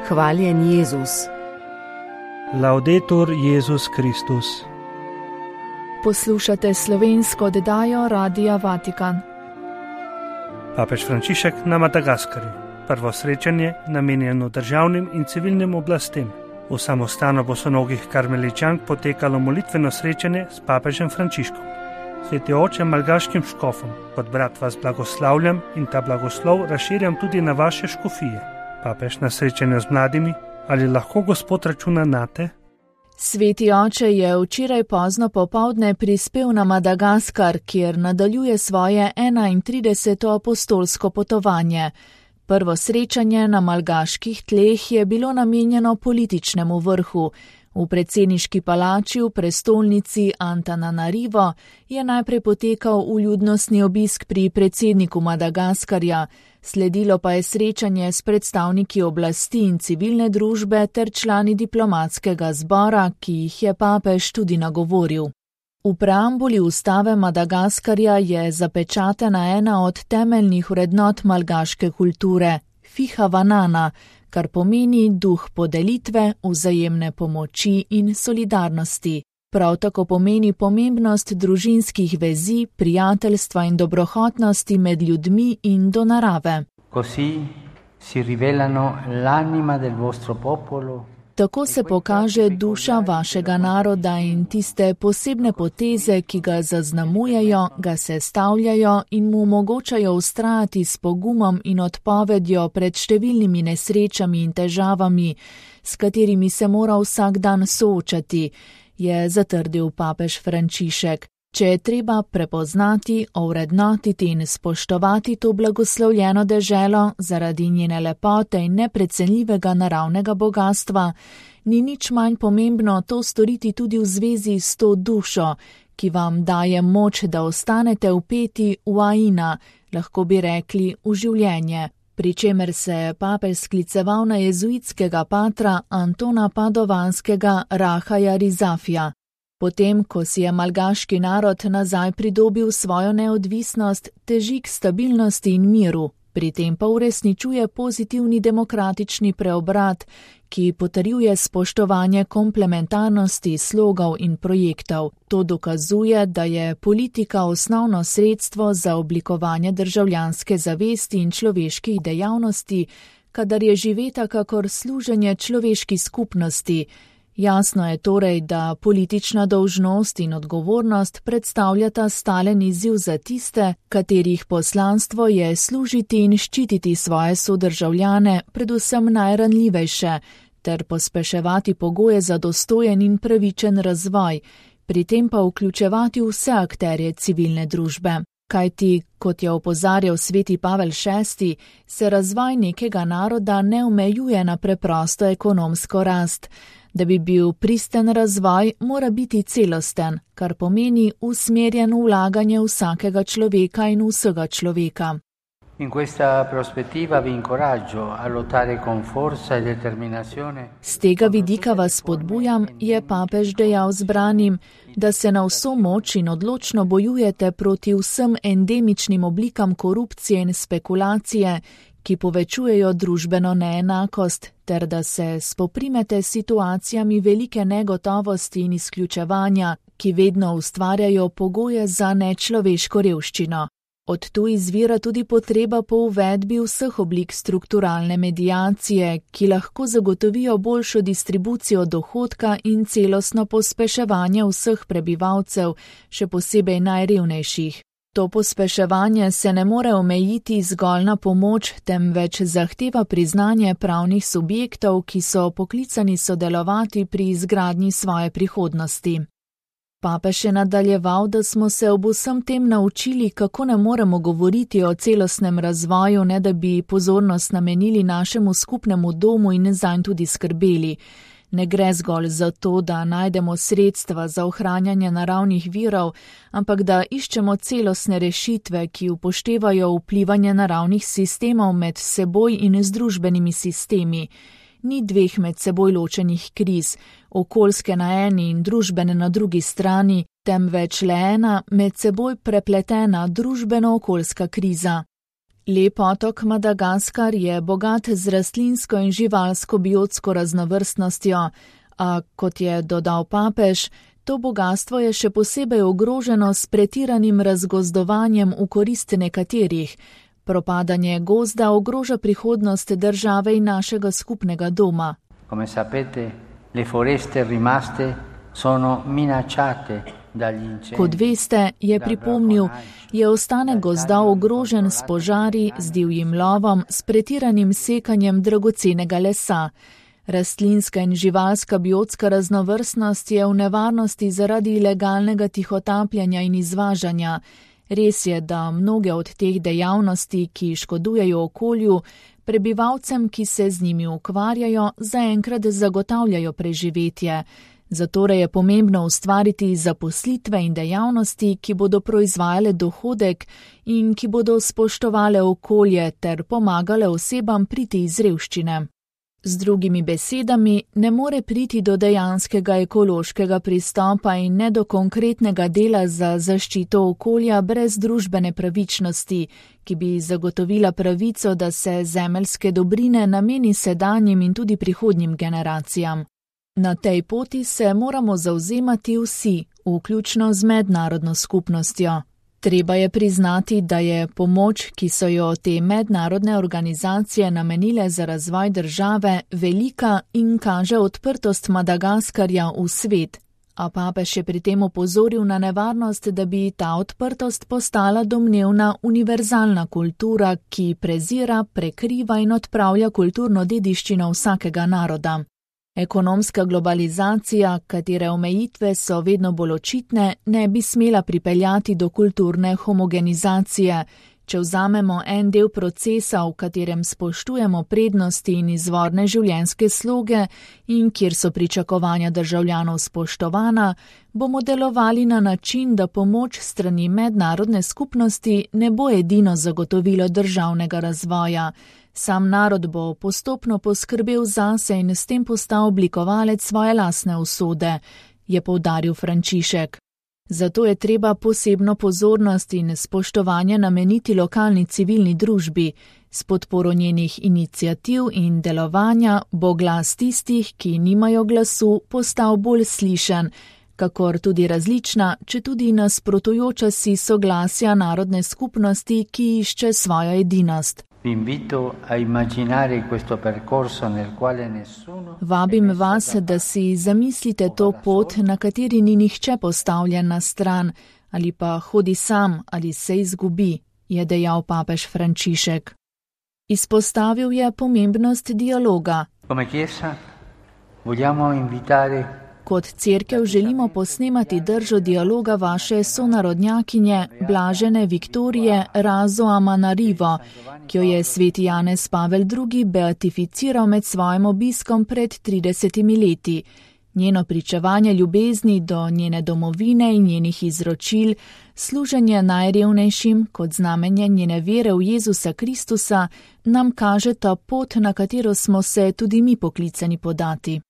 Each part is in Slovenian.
Hvaljen Jezus. Laudetur Jezus Kristus. Poslušate slovensko oddajo Radia Vatikan. Papež Frančišek na Madagaskarju. Prvo srečanje namenjeno državnim in civilnim oblastem. V samostanu bosonogih karmeličank potekalo molitveno srečanje s papežem Frančiškom. Sveti oče malgaškim škofom, kot brat vas blagoslavljam in ta blagoslov razširjam tudi na vaše škofije. Papež na srečanju z mladimi, ali lahko Gospod računa nate? Sveti oče je včeraj pozno popoldne prispel na Madagaskar, kjer nadaljuje svoje 31. apostolsko potovanje. Prvo srečanje na malgaških tleh je bilo namenjeno političnemu vrhu. V predsedniški palači v prestolnici Antananarivo je najprej potekal vljudnostni obisk pri predsedniku Madagaskarja, sledilo pa je srečanje s predstavniki oblasti in civilne družbe ter člani diplomatskega zbora, ki jih je papež tudi nagovoril. V preambuli ustave Madagaskarja je zapečatena ena od temeljnih vrednot malgaške kulture, Fihavanana, kar pomeni duh podelitve, vzajemne pomoči in solidarnosti. Prav tako pomeni pomembnost družinskih vezi, prijateljstva in dobrohotnosti med ljudmi in do narave. Così si rivelano l'anima del vostro popolo. Tako se pokaže duša vašega naroda in tiste posebne poteze, ki ga zaznamujejo, ga sestavljajo in mu omogočajo vztrajati s pogumom in odpovedjo pred številnimi nesrečami in težavami, s katerimi se mora vsak dan soočati, je zatrdil papež Frančišek. Če je treba prepoznati, ovrednotiti in spoštovati to blagoslovljeno deželo zaradi njene lepote in neprecenljivega naravnega bogastva, ni nič manj pomembno to storiti tudi v zvezi s to dušo, ki vam daje moč, da ostanete vpeti v aina, lahko bi rekli v življenje, pri čemer se je papež skliceval na jezuitskega patra Antona Padovanskega Rahaja Rizafija. Potem, ko si je malgaški narod nazaj pridobil svojo neodvisnost, teži k stabilnosti in miru, pri tem pa uresničuje pozitivni demokratični preobrat, ki potrjuje spoštovanje komplementarnosti slogov in projektov. To dokazuje, da je politika osnovno sredstvo za oblikovanje državljanske zavesti in človeških dejavnosti, kadar je živeta kakor služenje človeški skupnosti. Jasno je torej, da politična dolžnost in odgovornost predstavljata stalen izziv za tiste, katerih poslanstvo je služiti in ščititi svoje sodržavljane, predvsem najranljivejše, ter pospeševati pogoje za dostojen in pravičen razvoj, pri tem pa vključevati vse akterje civilne družbe. Kajti, kot je opozarjal sveti Pavel VI, se razvoj nekega naroda ne omejuje na preprosto ekonomsko rast. Da bi bil pristen razvoj, mora biti celosten, kar pomeni usmerjen v vlaganje vsakega človeka in vsega človeka. In questa prospettiva vi incoraggio a lottare con forza e determinazione. Z tega vidika vas spodbujam, je papež dejal zbranim, da se na vso moč in odločno bojujete proti vsem endemičnim oblikam korupcije in spekulacije, ki povečujejo družbeno neenakost, ter da se spoprimete s situacijami velike negotovosti in izključevanja, ki vedno ustvarjajo pogoje za nečloveško revščino. Od tu izvira tudi potreba po uvedbi vseh oblik strukturalne mediacije, ki lahko zagotovijo boljšo distribucijo dohodka in celostno pospeševanje vseh prebivalcev, še posebej najrevnejših. To pospeševanje se ne more omejiti zgolj na pomoč, temveč zahteva priznanje pravnih subjektov, ki so poklicani sodelovati pri izgradnji svoje prihodnosti. Papež je nadaljeval, da smo se ob vsem tem naučili, kako ne moremo govoriti o celostnem razvoju, ne da bi pozornost namenili našemu skupnemu domu in zanj tudi skrbeli. Ne gre zgolj za to, da najdemo sredstva za ohranjanje naravnih virov, ampak da iščemo celostne rešitve, ki upoštevajo vplivanje naravnih sistemov med seboj in z družbenimi sistemi. Ni dveh med seboj ločenih kriz, okoljske na eni in družbene na drugi strani, temveč le ena med seboj prepletena družbeno-okoljska kriza. Lep otok Madagaskar je bogat z rastlinsko in živalsko biotsko raznovrstnostjo, a kot je dodal papež, to bogatstvo je še posebej ogroženo s pretiranim razgozdovanjem v korist nekaterih. Propadanje gozda ogroža prihodnost države in našega skupnega doma. Come sapete, le foreste rimaste sono minacciate dagli incendi. Kot veste, je pripomnil, je ostanek gozda ogrožen s požari, z divjim lovom, s pretiranim sekanjem dragocenega lesa. Rastlinska in živalska biotska raznovrstnost je v nevarnosti zaradi ilegalnega tihotapljanja in izvažanja. Res je, da mnoge od teh dejavnosti, ki škodujejo okolju, prebivalcem, ki se z njimi ukvarjajo, zaenkrat zagotavljajo preživetje. Zatorej je pomembno ustvariti zaposlitve in dejavnosti, ki bodo proizvajale dohodek in ki bodo spoštovale okolje ter pomagale osebam priti iz revščine. Z drugimi besedami, ne more priti do dejanskega ekološkega pristopa in ne do konkretnega dela za zaščito okolja brez družbene pravičnosti, ki bi zagotovila pravico, da se zemeljske dobrine nameni sedanjim in tudi prihodnjim generacijam. Na tej poti se moramo zavzemati vsi, vključno z mednarodno skupnostjo. Treba je priznati, da je pomoč, ki so jo te mednarodne organizacije namenile za razvoj države, velika in kaže odprtost Madagaskarja v svet, a papež je pri tem opozoril na nevarnost, da bi ta odprtost postala domnevna univerzalna kultura, ki prezira, prekriva in odpravlja kulturno dediščino vsakega naroda. Ekonomska globalizacija, katere omejitve so vedno bolj očitne, ne bi smela pripeljati do kulturne homogenizacije. Če vzamemo en del procesa, v katerem spoštujemo prednosti in izvorne življenjske sloge in kjer so pričakovanja državljanov spoštovana, bomo delovali na način, da pomoč strani mednarodne skupnosti ne bo edino zagotovilo državnega razvoja. Sam narod bo postopno poskrbel zase in s tem postal oblikovalec svoje lastne usode, je poudaril Frančišek. Zato je treba posebno pozornost in spoštovanje nameniti lokalni civilni družbi. S podporo njenih iniciativ in delovanja bo glas tistih, ki nimajo glasu, postal bolj slišen, kakor tudi različna, četudi nasprotujoča si soglasja narodne skupnosti, ki išče svojo edinost. Vabim vas, da si zamislite to pot, na kateri ni nihče postavljen na stran, ali pa hodi sam ali se izgubi, je dejal papež Frančišek. Izpostavil je pomembnost dialoga. Kot cerkev želimo posnemati držo dialoga vaše sonarodnjakinje Blažene Viktorije Razo Amanarivo, ki jo je sveti Janez Pavel II. Beatificiral med svojim obiskom pred 30 leti. Njeno pričevanje ljubezni do njene domovine in njenih izročil, služenje najrevnejšim kot znamenje njene vere v Jezusa Kristusa, nam kaže ta pot, na katero smo se tudi mi poklicani podati.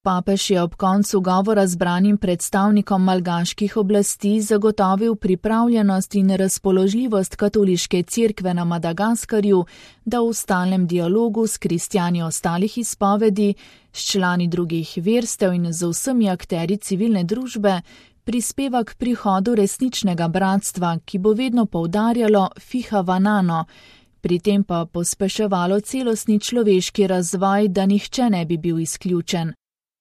Papež je ob koncu govora zbranim predstavnikom malgaških oblasti zagotovil pripravljenost in razpoložljivost katoliške cerkve na Madagaskarju, da v stalnem dialogu s kristjani ostalih izpovedi, s člani drugih verstev in z vsemi akterji civilne družbe prispeva k prihodu resničnega bratstva, ki bo vedno poudarjalo fiha vanano, pri tem pa pospeševalo celostni človeški razvoj, da nihče ne bi bil izključen.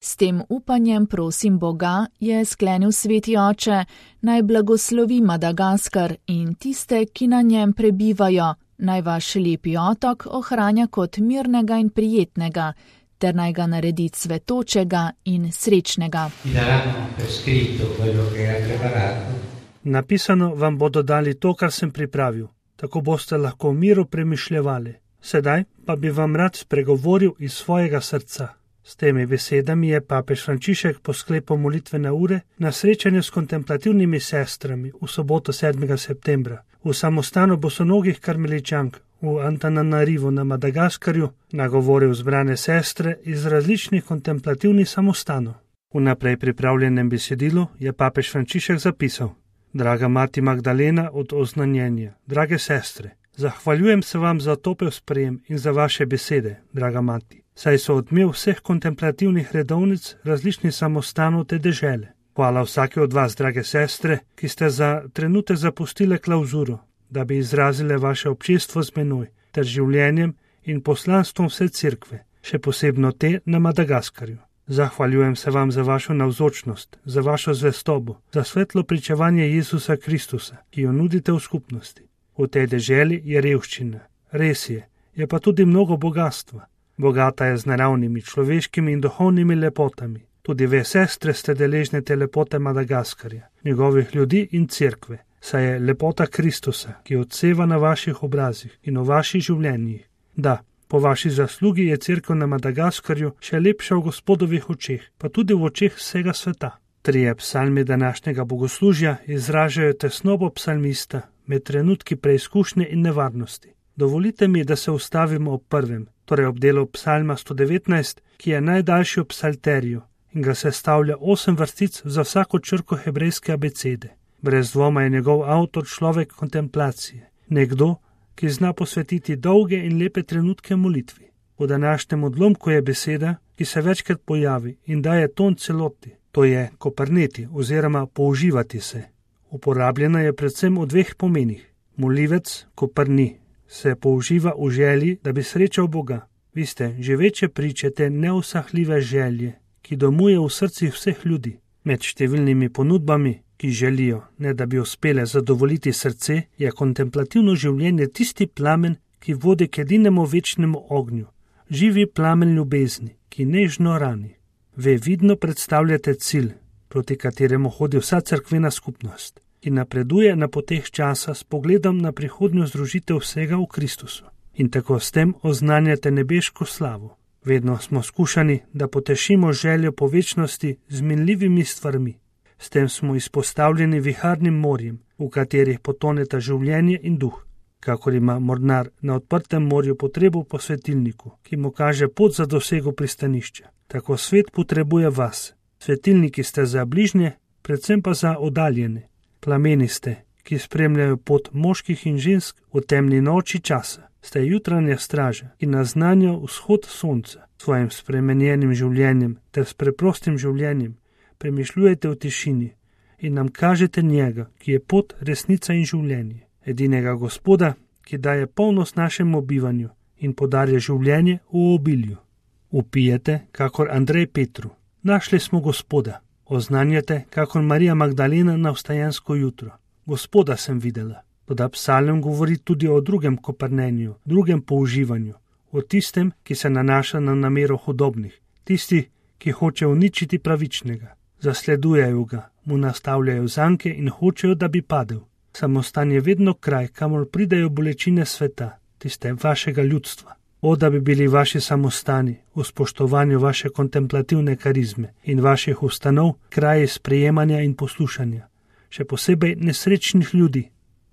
S tem upanjem prosim Boga, je sklenil sveti oče, naj blagoslovi Madagaskar in tiste, ki na njem prebivajo, naj vaš lepi otok ohranja kot mirnega in prijetnega, ter naj ga naredi cvetočega in srečnega. Napisano vam bodo dali to, kar sem pripravil, tako boste lahko v miru premišljevali. Sedaj pa bi vam rad spregovoril iz svojega srca. S temi besedami je papež Frančišek po sklepu molitvene ure na srečanju s kontemplativnimi sestrami v soboto 7. septembra v samostanu bosonogih karmeličank v Antananarivu na Madagaskarju nagovoril zbrane sestre iz različnih kontemplativnih samostanov. V naprej pripravljenem besedilu je papež Frančišek zapisal: Draga mati Magdalena od oznanjenja, drage sestre, Zahvaljujem se vam za topel sprejem in za vaše besede, draga mati, saj so odmev vseh kontemplativnih redovnic različnih samostanov te dežele. Hvala vsake od vas, drage sestre, ki ste za trenutek zapustile klauzuro, da bi izrazile vaše občestvo z menoj ter življenjem in poslanstvom vse cerkve, še posebno te na Madagaskarju. Zahvaljujem se vam za vašo navzočnost, za vašo zvestobo, za svetlo pričevanje Jezusa Kristusa, ki jo nudite v skupnosti. V tej deželi je revščina, res je pa tudi mnogo bogatstva. Bogata je z naravnimi, človeškimi in duhovnimi lepotami. Tudi ve sestre ste deležne te lepote Madagaskarja, njegovih ljudi in cerkve, saj je lepota Kristusa, ki odseva na vaših obrazih in v vaših življenjih. Da, po vaši zaslugi je cerkev na Madagaskarju še lepša v Gospodovih očeh, pa tudi v očeh vsega sveta. 3 psalmi današnjega bogoslužja izražajo tesnobo psalmista med trenutki preizkušnje in nevarnosti. Dovolite mi, da se ustavimo ob prvem, torej ob delu psalma 119, ki je najdaljši v psalteriju in ga sestavlja 8 vrstic za vsako črko hebrejske abecede. Brez dvoma je njegov avtor človek kontemplacije, nekdo, ki zna posvetiti dolge in lepe trenutke molitvi. V današnjem odlomku je beseda, ki se večkrat pojavi in daje ton celoti, to je koprneti oziroma použivati se. Uporabljena je predvsem v 2 pomenih. Molivec, koprni, se použiva v želji, da bi srečal Boga. Vi ste že večje priče te neusahljive želje, ki domuje v srcih vseh ljudi. Med številnimi ponudbami, ki želijo, ne da bi uspele zadovoljiti srce, je kontemplativno življenje tisti plamen, ki vodi k edinemu večnemu ognju, živi plamen ljubezni, ki nežno rani. Ve vidno predstavljate cilj, proti kateremu hodi vsa cerkvena skupnost, ki napreduje na poteh časa s pogledom na prihodnjo združitev vsega v Kristusu. In tako s tem oznanjate nebeško slavo. Vedno smo skušani, da potešimo željo po večnosti z minljivimi stvarmi. S tem smo izpostavljeni viharnim morjem, v katerih potoneta življenje in duh. Kakor ima mornar na odprtem morju potrebo po svetilniku, ki mu kaže pot za dosego pristanišča. Tako svet potrebuje vas. Svetilniki ste za bližnje, predvsem pa za oddaljene. Plameni ste, ki spremljajo pot moških in žensk v temni noči časa. Ste jutranja straža, ki naznanja vzhod sonca. Svojim spremenjenim življenjem ter s preprostim življenjem premišljujete v tišini in nam kažete njega, ki je pot, resnica in življenje. Edinega Gospoda, ki daje polnost našemu bivanju in podarja življenje v obilju. Vpijete, kakor Andrej Petru. Našli smo Gospoda. Oznanjate, kakor Marija Magdalena na vstajensko jutro. Gospoda sem videla. Toda psalm govori tudi o drugem koprnenju, drugem použivanju, o tistem, ki se nanaša na namero hudobnih, tisti, ki hoče uničiti pravičnega. Zasledujejo ga, mu nastavljajo zanke in hočejo, da bi padel. Samostan je vedno kraj, kamor pridejo bolečine sveta, tiste vašega ljudstva. O, da bi bili vaši samostani v spoštovanju vaše kontemplativne karizme in vaših ustanov kraji sprejemanja in poslušanja, še posebej nesrečnih ljudi.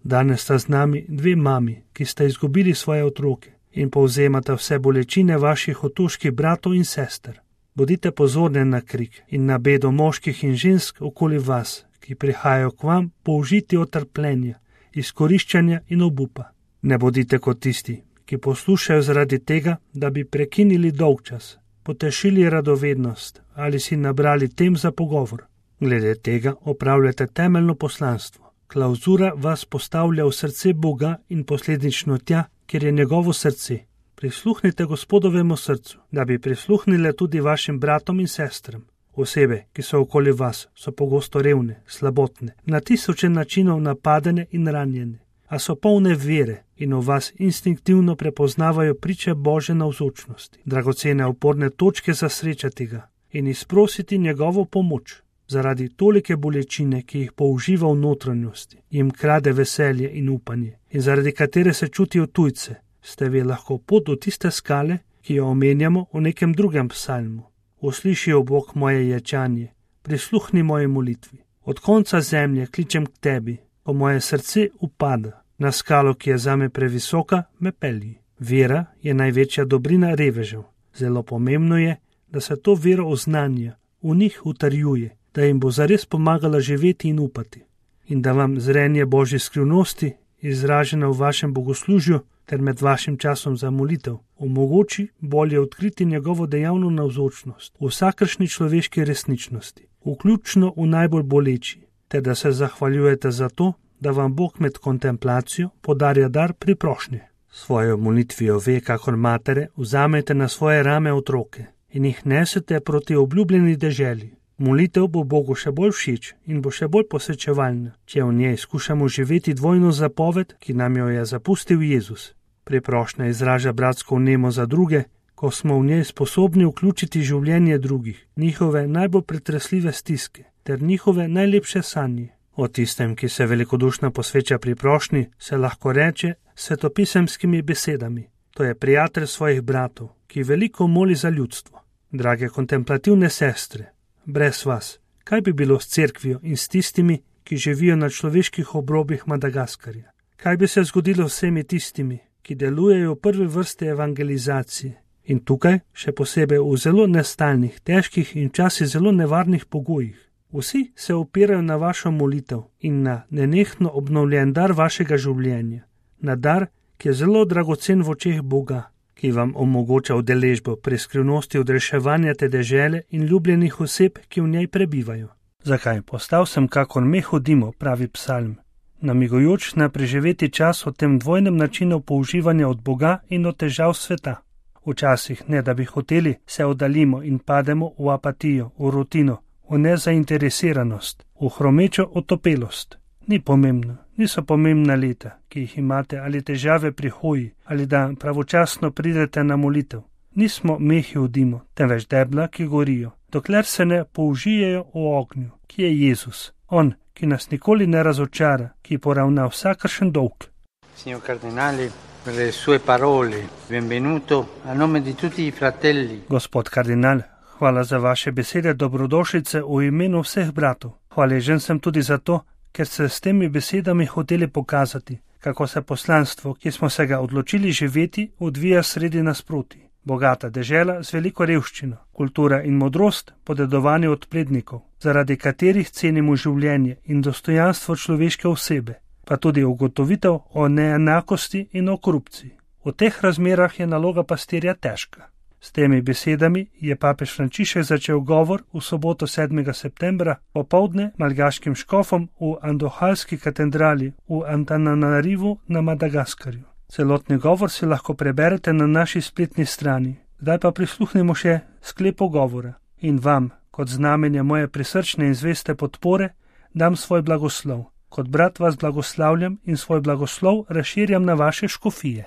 Danes sta z nami 2 mami, ki sta izgubili svoje otroke in povzemata vse bolečine vaših otoških bratov in sester. Bodite pozorni na krik in na bedo moških in žensk okoli vas, ki prihajajo k vam použiti od trpljenja, izkoriščanja in obupa. Ne bodite kot tisti, ki poslušajo zaradi tega, da bi prekinili dolgčas, potešili radovednost ali si nabrali tem za pogovor. Glede tega opravljate temeljno poslanstvo. Klauzura vas postavlja v srce Boga in posledično tja, kjer je njegovo srce. Prisluhnite Gospodovemu srcu, da bi prisluhnile tudi vašim bratom in sestram. Osebe, ki so okoli vas, so pogosto revne, slabotne, na tisoče načinov napadene in ranjene, a so polne vere in v vas instinktivno prepoznavajo priče Božje navzočnosti, dragocene oporne točke za srečati ga in izprositi njegovo pomoč. Zaradi tolike bolečine, ki jih použiva v notranjosti, jim krade veselje in upanje in zaradi katere se čutijo tujce, ste vi lahko pot do tiste skale, ki jo omenjamo v nekem drugem psalmu. Usliši, o Bog, moje ječanje, prisluhni moje molitvi. Od konca zemlje kličem k tebi, ko moje srce upada. Na skalo, ki je zame previsoka, me pelji. Vera je največja dobrina revežev. Zelo pomembno je, da se to vero oznanja, v njih utrjuje, da jim bo zares pomagala živeti in upati. In da vam zrenje Božje skrivnosti izražena v vašem bogoslužju ter med vašim časom za molitev, omogoči bolje odkriti njegovo dejavno navzočnost v vsakršni človeški resničnosti, vključno v najbolj boleči, ter da se zahvaljujete za to, da vam Bog med kontemplacijo podarja dar priprošnje. Svojo molitvijo ve, kakor matere, vzamete na svoje rame otroke in jih nesete proti obljubljeni deželi. Molitev bo Bogu še bolj všeč in bo še bolj posvečevalna, če v njej skušamo živeti dvojno zapoved, ki nam jo je zapustil Jezus. Priprošnja izraža bratsko vnemo za druge, ko smo v njej sposobni vključiti življenje drugih, njihove najbolj pretresljive stiske ter njihove najlepše sanje. O tistem, ki se velikodušno posveča priprošnji, se lahko reče svetopisemskimi besedami. To je prijatelj svojih bratov, ki veliko moli za ljudstvo. Drage kontemplativne sestre, brez vas, kaj bi bilo s cerkvijo in s tistimi, ki živijo na človeških obrobjih Madagaskarja? Kaj bi se zgodilo s vsemi tistimi, ki delujejo v prvi vrsti evangelizacije in tukaj, še posebej v zelo nestalnih, težkih in včasih zelo nevarnih pogojih? Vsi se opirajo na vašo molitev in na nenehno obnovljen dar vašega življenja, na dar, ki je zelo dragocen v očeh Boga, ki vam omogoča udeležbo pri skrivnosti odreševanja te dežele in ljubljenih oseb, ki v njej prebivajo. Zakaj? Postal sem kakor meh v dimu, pravi psalm, namigujoč na preživeti čas o tem dvojnem načinu použivanja od Boga in od težav sveta. Včasih, ne da bi hoteli, se oddaljimo in pademo v apatijo, v rutino, v nezainteresiranost, v hromečo otopelost. Ni pomembno, niso pomembna leta, ki jih imate, ali težave pri hoji, ali da pravočasno pridete na molitev. Nismo mehi v dimu, temveč debla, ki gorijo, dokler se ne použijejo v ognju, ki je Jezus, On, ki nas nikoli ne razočara, ki poravna vsakršen dolg. Signor Cardinale, per le sue parole, benvenuto a nome di tutti i fratelli. Gospod kardinal, hvala za vaše besede dobrodošlice v imenu vseh bratov. Hvaležen sem tudi za to, ker ste s temi besedami hoteli pokazati, kako se poslanstvo, ki smo se ga odločili živeti, odvija sredi nasproti. Bogata dežela z veliko revščino, kultura in modrost podedovani od prednikov, zaradi katerih cenimo življenje in dostojanstvo človeške osebe, pa tudi ugotovitev o neenakosti in o korupciji. V teh razmerah je naloga pastirja težka. S temi besedami je papež Frančišek začel govor v soboto 7. septembra popoldne malgaškim škofom v Andohalski katedrali v Antananarivu na Madagaskarju. Celotni govor si lahko preberete na naši spletni strani. Zdaj pa prisluhnemo še sklepu govora. In vam, kot znamenje moje prisrčne in zveste podpore, dam svoj blagoslov. Kot brat vas blagoslavljam in svoj blagoslov razširjam na vaše škofije.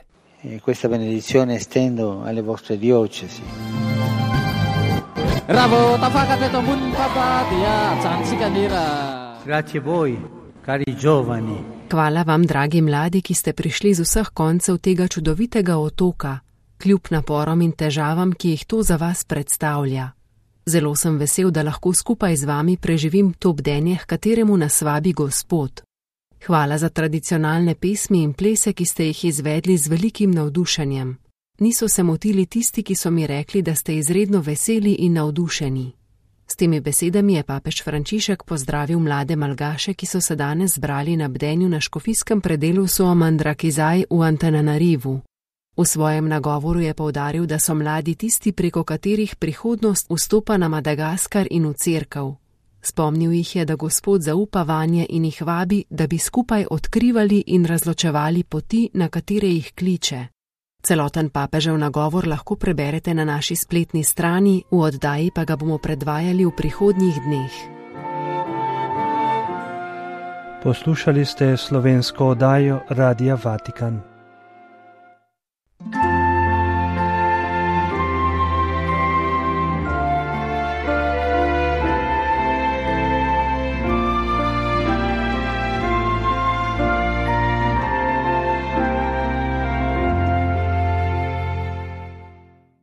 Questa benedizione estendo alle vostre diocesi. Grazie a voi, cari giovani. Hvala vam, dragi mladi, ki ste prišli z vseh koncev tega čudovitega otoka, kljub naporom in težavam, ki jih to za vas predstavlja. Zelo sem vesel, da lahko skupaj z vami preživim to bdenje, h kateremu nas vabi Gospod. Hvala za tradicionalne pesmi in plese, ki ste jih izvedli z velikim navdušenjem. Niso se motili tisti, ki so mi rekli, da ste izredno veseli in navdušeni. S temi besedami je papež Frančišek pozdravil mlade Malgaše, ki so se danes zbrali na bdenju na škofijskem predelu Soamandrakizaj v Antananarivu. V svojem nagovoru je poudaril, da so mladi tisti, preko katerih prihodnost vstopa na Madagaskar in v cerkev. Spomnil jih je, da Gospod zaupa vanje in jih vabi, da bi skupaj odkrivali in razločevali poti, na katere jih kliče. Celoten papežev nagovor lahko preberete na naši spletni strani, v oddaji pa ga bomo predvajali v prihodnjih dneh. Poslušali ste slovensko oddajo Radia Vatikan.